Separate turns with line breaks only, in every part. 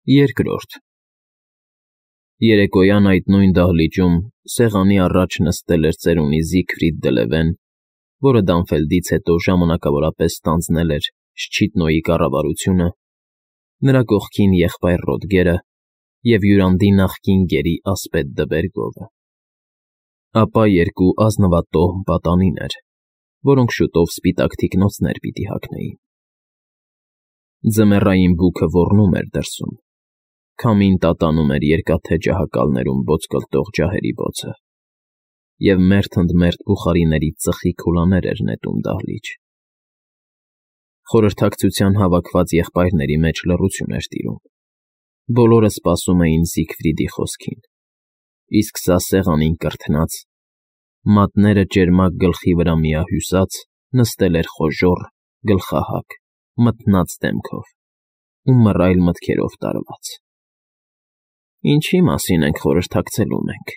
Երկրորդ Երեկոյան այդ նույն դահլիճում սեղանի առաջ նստել էր ծերունի Զիգֆրիդ դը Լևեն, որը Դանֆելդից հետո ժամանակավորապես ստանձնել էր Շչիտնոյի կառավարությունը, նրա կողքին եղբայր Ռոդգերը և Յուրանդի նախկին գերի ասպետ Դբերգովը, ապա երկու ազնվատոհմ պատանիներ, որոնք շուտով սպիտակ թիկնոցներ պիտի հագնեին։ Ձմեռային բուքը ոռնում էր դրսում, քամին տատանում էր երկաթե ջահակալներում բոցկլտող ջահերի բոցը, և մերթ ընդ մերթ բուխարիների ծխի քուլաներ էր նետում դահլիճ։ Խորհրդակցության հավաքված եղբայրների մեջ լռություն էր տիրում, բոլորը սպասում էին Զիգֆրիդի խոսքին, իսկ սա սեղանին կրթնած, մատները ճերմակ գլխի վրա միահյուսած, նստել էր խոժոռ, գլխահակ, մթնած դեմքով ու մռայլ մտքերով տարված։ «Ինչի՞ մասին ենք խորհրդակցելու մենք,֊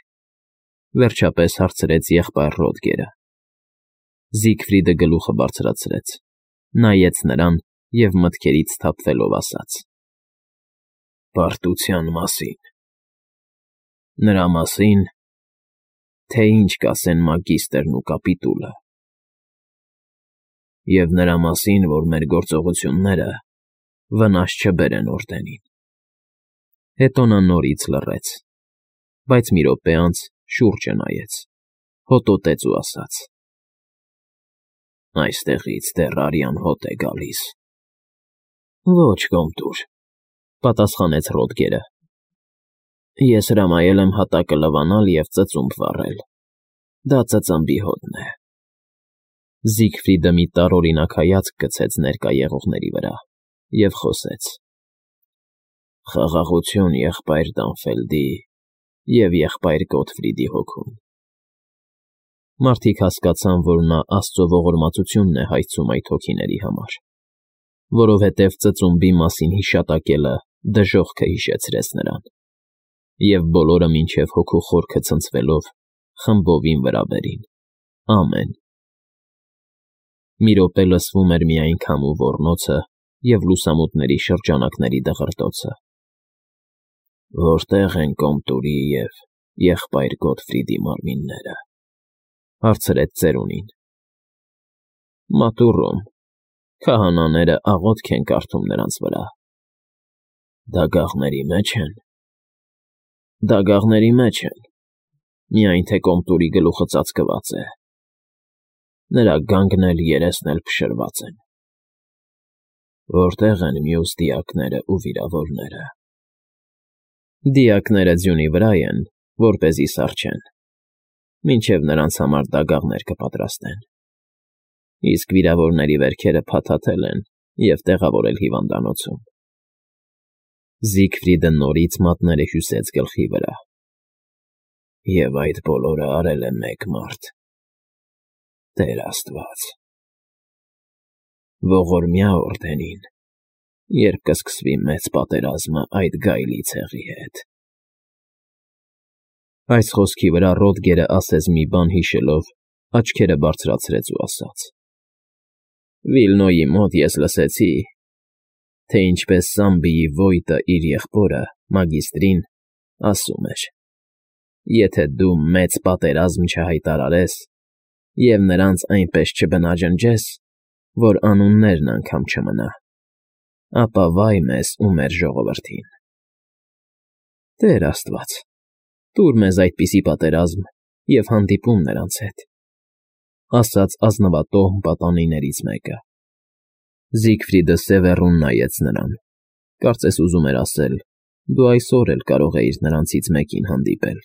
վերջապես հարցրեց եղբայր Ռոդգերը։ Զիգֆրիդը գլուխը բարձրացրեց, նայեց նրան և մտքերից սթափվելով ասաց. «Պարտության մասին։ Նրա մասին, թե ինչ կասեն մագիստրն ու կապիտուլը, և նրա մասին, որ մեր գործողությունները վնաս չբերեն օրդենին»։ Հետո նա նորից լռեց, բայց մի րոպե անց շուրջը նայեց, հոտոտեց ու ասաց. «Այստեղից դեռ արյան հոտ է գալիս»։ «Ոչ, կոմտուր,֊ պատասխանեց Ռոդգերը,֊ ես հրամայել եմ հատակը լվանալ և ծծումբ վառել. դա ծծմբի հոտն է»։ Զիգֆրիդը մի տարօրինակ հայացք գցեց ներկա եղողների վրա և խոսեց. «Խաղաղություն եղբայր Դանֆելդի և եղբայր Գոթֆրիդի հոգուն»։ Մարդիկ հասկացան, որ նա աստծո ողորմածությունն է հայցում այդ հոգիների համար, որովհետև ծծումբի մասին հիշատակելը դժոխքը հիշեցրեց նրան, և բոլորը մինչև հոգու խորքը ցնցվելով խմբովին վրա բերին. ամեն։ Մի րոպե լսվում էր միայն քամու ոռնոցը և լուսամուտների շրջանակների դղրդոցը։ «Որտե՞ղ են Կոմտուրի և եղբայր Գոթֆրիդի մարմինները,֊ հարցրեց ծերունին։ «Մատուռում, քահանաները աղոթք են կարդում նրանց վրա»։ «Դագաղների մեջ են»։ «Դագաղների մեջ են, միայն թե Կոմտուրի գլուխը ծածկված է, նրա գանգն էլ երեսն էլ փշրված են»։ «Որտե՞ղ են մյուս դիակներն ու վիրավորները»։ «Դիակները ձյունի վրա են, որպեսզի սառչեն, մինչև նրանց համար դագաղներ կպատրաստեն, իսկ վիրավորների վերքերը փաթաթել են և տեղավորել հիվանդանոցում»։ Զիգֆրիդը նորից մատները հյուսեց գլխի վրա։ «Եվ այդ բոլորը արել է մեկ մարդ՝ Տեր Աստված։ Ողորմյա օրդենին, երբ կսկսվի մեծ պատերազմը այդ գայլի ցեղի հետ»։ Այս խոսքի վրա Ռոդգերը ասես մի բան հիշելով, աչքերը բարձրացրեց ու ասաց. «Վիլնոյի մոտ ես լսեցի, թե ինչպես Սամբիի ոյտը իր եղբորը՝ մագիստրին, ասում էր. եթե դու մեծ պատերազմ չհայտարարես և նրանց այնպես չբնաջնջես, որ անուններն անգամ չմնա, ապա վայ մեզ ու մեր ժողովրդին։ Տեր Աստված, տուր մեզ այդպիսի պատերազմ և հանդիպում նրանց հետ», ասաց ազնվատոհմ պատանիներից մեկը։ Զիգֆրիդը սևեռուն նայեց նրան, կարծես ուզում էր ասել. «Դու այսօր էլ կարող էիր նրանցից մեկին հանդիպել»։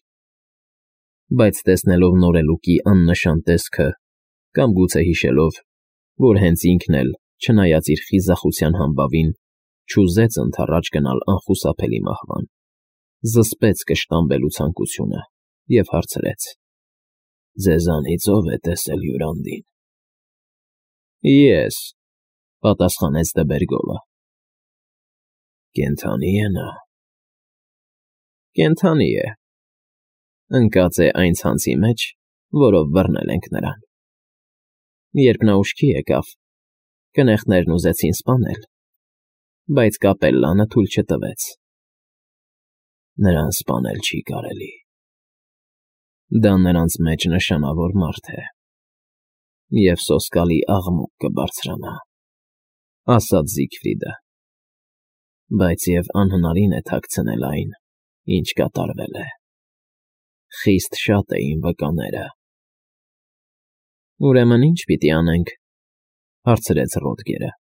Բայց տեսնելով նորելուկի աննշան տեսքը կամ գուցե հիշելով, որ հենց ինքն էլ, չնայած իր խիզախության համբավին, չուզեց ընդառաջ գնալ անխուսափելի մահվան, զսպեց կշտամբելու ցանկությունը և հարցրեց. «Ձեզանից ո՞վ է տեսել Յուրանդին»։ «Ես,֊ պատասխանեց Դբերգովը։ «Կենդանի՞ է նա»։ «Կենդանի է, ընկած է այն ցանցի մեջ, որով բռնել ենք նրան։ Երբ նա ուշքի եկավ, կնեղներն ուզեցին սպանել, բայց կապելլանը թույլ չտվեց, Նրան սպանել չի կարելի։ Դա նրանց մեջ նշանավոր մարդ է, և սոսկալի աղմուկ կբարձրանա, ասաց Զիգֆրիդը, բայց և անհնարին է թաքցնել այն, ինչ կատարվել է։ Խիստ շատ էին վկաները։ Ուրեմն ի՞նչ պիտի անենք, հարցրեց Ռոդգերը։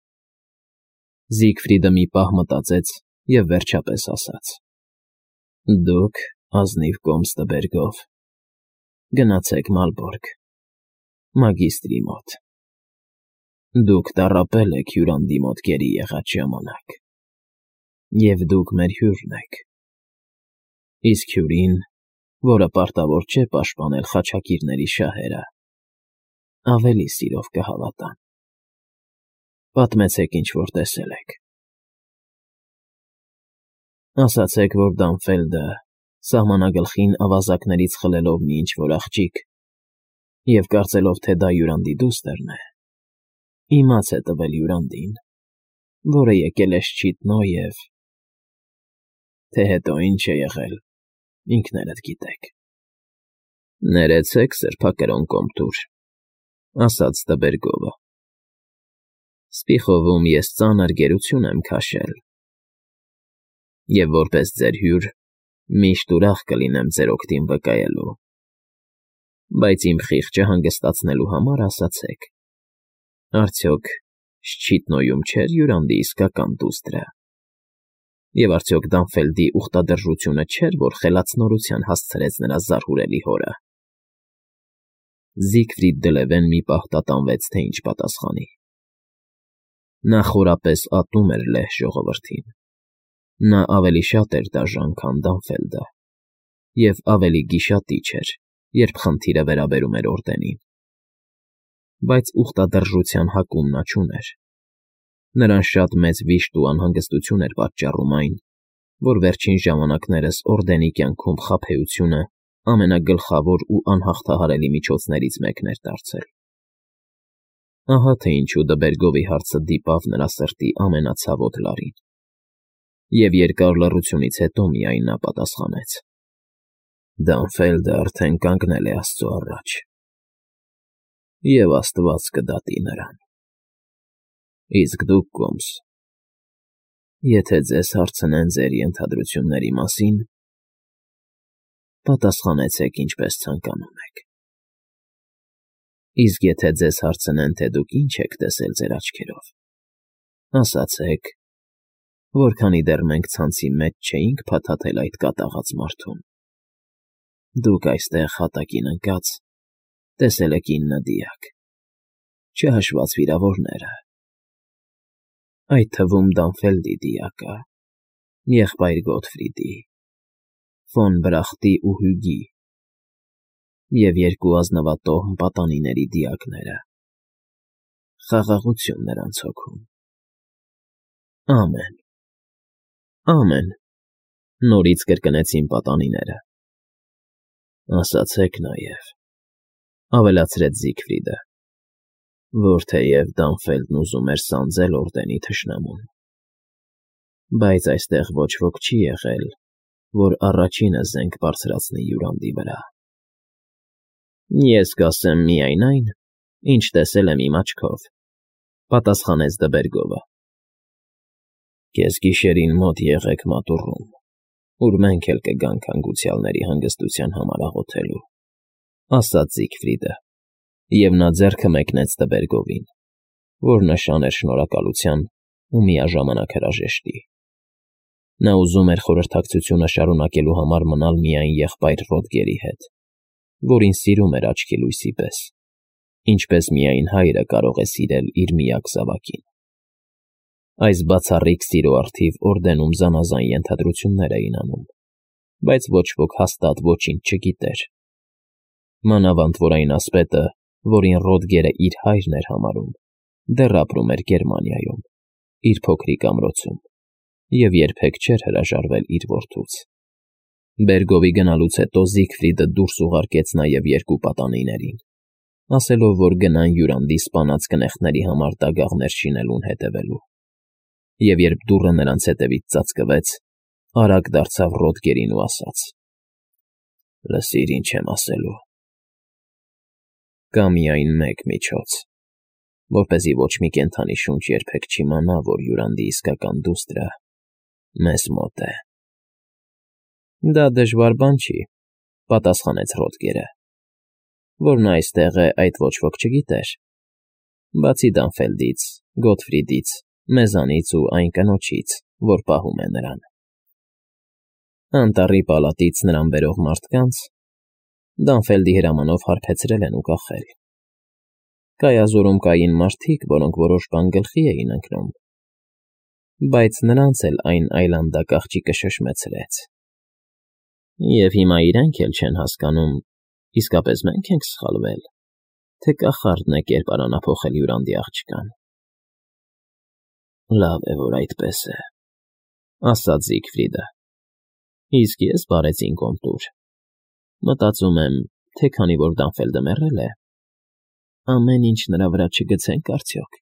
Զիգֆրիդը մի պահ մտածեց և վերջապես ասաց. Դուք, ազնիվ կոմստվերգով, գնացեք Մալբորգ, մագիստրի մոտ։ Դուք տառապել եք հյուրանդի մոտ գերի եղած ժամանակ, և դուք մեր հյուրն եք։ Իսկ հյուրին, որը պարտավոր չէ պաշտպանել խաչակիրների շահերը, ավելի սիրով կհավատան։ Պատմեցեք, ինչ որ տեսել եք։ Ասացեք, որ Դանֆելդը, սահմանագլխին ավազակներից խլելով մի ինչ-որ աղջիկ և կարծելով, թե դա յուրանդի դուստրն է, իմաց է տվել յուրանդին, որը եկել է շչիտնո և… Թե հետո ինչ է եղել, ինքներդ գիտեք։ Ներեցեք, սրբակրոն կոմտուր, ասաց Տբերգովը։ Սպիխովում ես ծանր գերություն եմ քաշել, և որպես ձեր հյուր միշտ ուրախ կլինեմ ձեր օգտին վկայելու, բայց իմ խիղճը հանգստացնելու համար ասացեք, արդյոք Շչիտնոյում չէր յուրանդի իսկական դուստրը, և արդյոք Դանֆելդի ուխտադրժությունը չէր, որ խելացնորության հասցրեց նրա զարհուրելի հորը։ Զիգֆրիդ Դլևեն մի պահ տատանվեց, թե ինչ պատասխանի։ Նա խորապես ատում էր լեհ ժողովրդին։ Նա ավելի շատ էր դաժան, քան Դանֆելդը, և ավելի գիշատիչ էր, երբ խնդիրը վերաբերում էր օրդենին։ Բայց ուխտադրժության հակում նա չուներ։ Նրան շատ մեծ վիշտ ու անհանգստություն էր պատճառում այն, որ վերջին ժամանակներս օրդենի կյանքում խաբեությունը ամենագլխավոր ու անհաղթահարելի միջոցներից մեկն էր դարձել։ Ահա թե ինչու Դբերգովի հարցը դիպավ նրա սրտի ամենացավոտ լարին։ Եվ երկար լռությունից հետո միայն նա պատասխանեց. Դանֆելդը արդեն կանգնել է Աստծո առաջ, և Աստված կդատի նրան։ Իսկ դուք, կոմս, եթե ձեզ հարցնեն ձեր ենթադրությունների մասին, պատասխանեցեք ինչպես ցանկանում եք։ Իսկ եթե ձեզ հարցնեն, թե դուք ինչ եք տեսել ձեր աչքերով, ասացեք, որ քանի դեռ մենք ցանցի մեջ չէինք փաթաթել այդ կատաղած մարդուն, դուք այստեղ հատակին ընկած տեսել եք 9 դիակ, չհաշված վիրավորները, այդ թվում Դանֆելդի դիակը, եղբայր Գոթֆրիդի, ֆոն Բրախտի ու Հյուգի և 2 ազնվատոհ պատանիների դիակները։ Խաղաղություն նրանց հոգում։ Ամեն, ամեն, նորից կրկնեցին պատանիները։ Ասացեք նաև, ավելացրեց Զիգֆրիդը, որ թեև Դանֆելդն ուզում էր սանձել օրդենի թշնամուն, բայց այստեղ ոչ ոք չի եղել, որ առաջինը զենք բարձրացնի յուրանդի վրա։ Ես կասեմ միայն այն, ինչ տեսել եմ իմ աչքով, պատասխանեց Դբերգովը։ Կեսգիշերին մոտ եղեք մատուռում, ուր մենք էլ կգանք հանգուցյալների հանգստության համար աղոթելու, ասաց Զիգֆրիդը, և նա ձեռքը մեկնեց Տբերգովին, որ նշան էր շնորհակալության ու միաժամանակ հրաժեշտի։ Նա ուզում էր խորհրդակցությունը շարունակելու համար մնալ միայն եղբայր Ռոդգերի հետ, որին սիրում էր աչքի լույսի պես, ինչպես միայն հայրը կարող է սիրել իր միակ զավակին։ Այս բացառիկ սիրո առթիվ օրդենում զանազան ենթադրություններ էին անում, բայց ոչ ոք հաստատ ոչինչ չգիտեր։ Մանավանդ որ այն ասպետը, որին Ռոդգերը իր հայրն էր համարում, դեռ ապրում էր Գերմանիայում, իր փոքրիկ ամրոցում, և երբեք չէր հրաժարվել իր որդուց։ Բերգովի գնալուց հետո Զիգֆրիդը դուրս ուղարկեց նաև 2 պատանիներին, ասելով, որ գնան յուրանդի սպանած կնեղտների համար դագաղներ շինելուն հետևելու։ Եվ երբ դուռը նրանց հետևից ծածկվեց, արագ դարձավ Ռոդգերին ու ասաց. «Լսիր, ինչ եմ ասելու։ Կա միայն մեկ միջոց, որպեսզի ոչ մի կենդանի շունչ երբեք չիմանա, որ Յուրանդի իսկական դուստրը մեզ մոտ է»։ «Դա դժվար բան չի», պատասխանեց Ռոդգերը, «որ նա այստեղ է, այդ ոչ ոք չգիտեր, բացի Դանֆելդից, Գոթֆրիդից, մեզանից ու այն կնոջից, որ պահում է նրան։ Անտառի պալատից նրան բերող մարդկանց Դանֆելդի հրամանով հարբեցրել են ու կախել։ Կայազորում կային մարդիկ, որոնք որոշ բան գլխի էին ընկնում, բայց նրանց էլ այն այլանդակաղջիկը շշմեցրեց։ Եվ հիմա իրենք էլ չեն հասկանում, իսկապես մենք ենք սխալվել, թե կախարդն է կերպարանափոխել Յուրանդի աղջկան։ Լավ է, որ այդպես է, ասաց Զիգֆրիդը։ Իսկ ես բարեցին կոնտուր։ Մտածում եմ, թե քանի որ Դանֆելդը մեռել է, ամեն ինչ նրա վրա չգցենք արդյոք։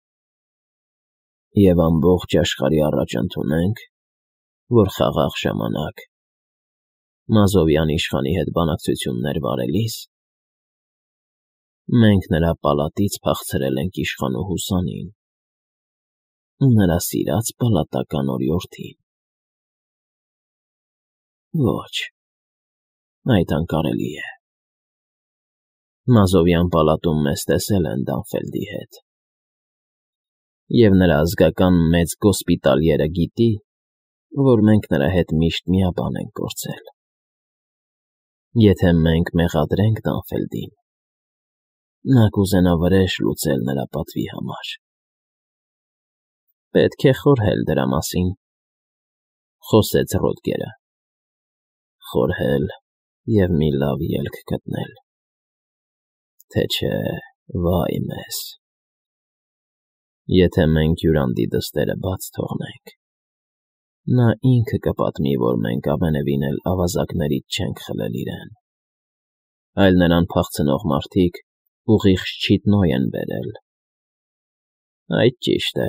Եվ ամբողջ աշխարհի առաջ ընդունենք, որ խաղաղ ժամանակ Մազովյան իշխանի հետ բանակցություններ վարելիս մենք նրա պալատից փախցրել ենք իշխանու Հուսանին, նրա սիրած պալատական օրիորդին։ Ոչ, այդ անկարելի է։ Մազովյան պալատում մեզ տեսել են Դանֆելդի հետ, և նրա ազգական մեծ գոսպիտալիերը գիտի, որ մենք նրա հետ միշտ միաբան ենք կորցել։ Եթե մենք մեղադրենք Դանֆելդին, նա կուզենա վրեժ լուծել նրա պատվի համար։ Պետք է խորհել դրա մասին, խոսեց Ռոդգերը։ Խորհել և մի լավ ելք գտնել, թե չէ, վայ մեզ։ Եթե մենք Յուրանդի դստերը բաց թողնենք, նա ինքը կպատմի, որ մենք ամենևին էլ ավազակներից չենք խլել իրեն, այլ նրան փախցնող մարդիկ ուղիղ Շչիտնոյ են բերել։ Այդ ճիշտ է։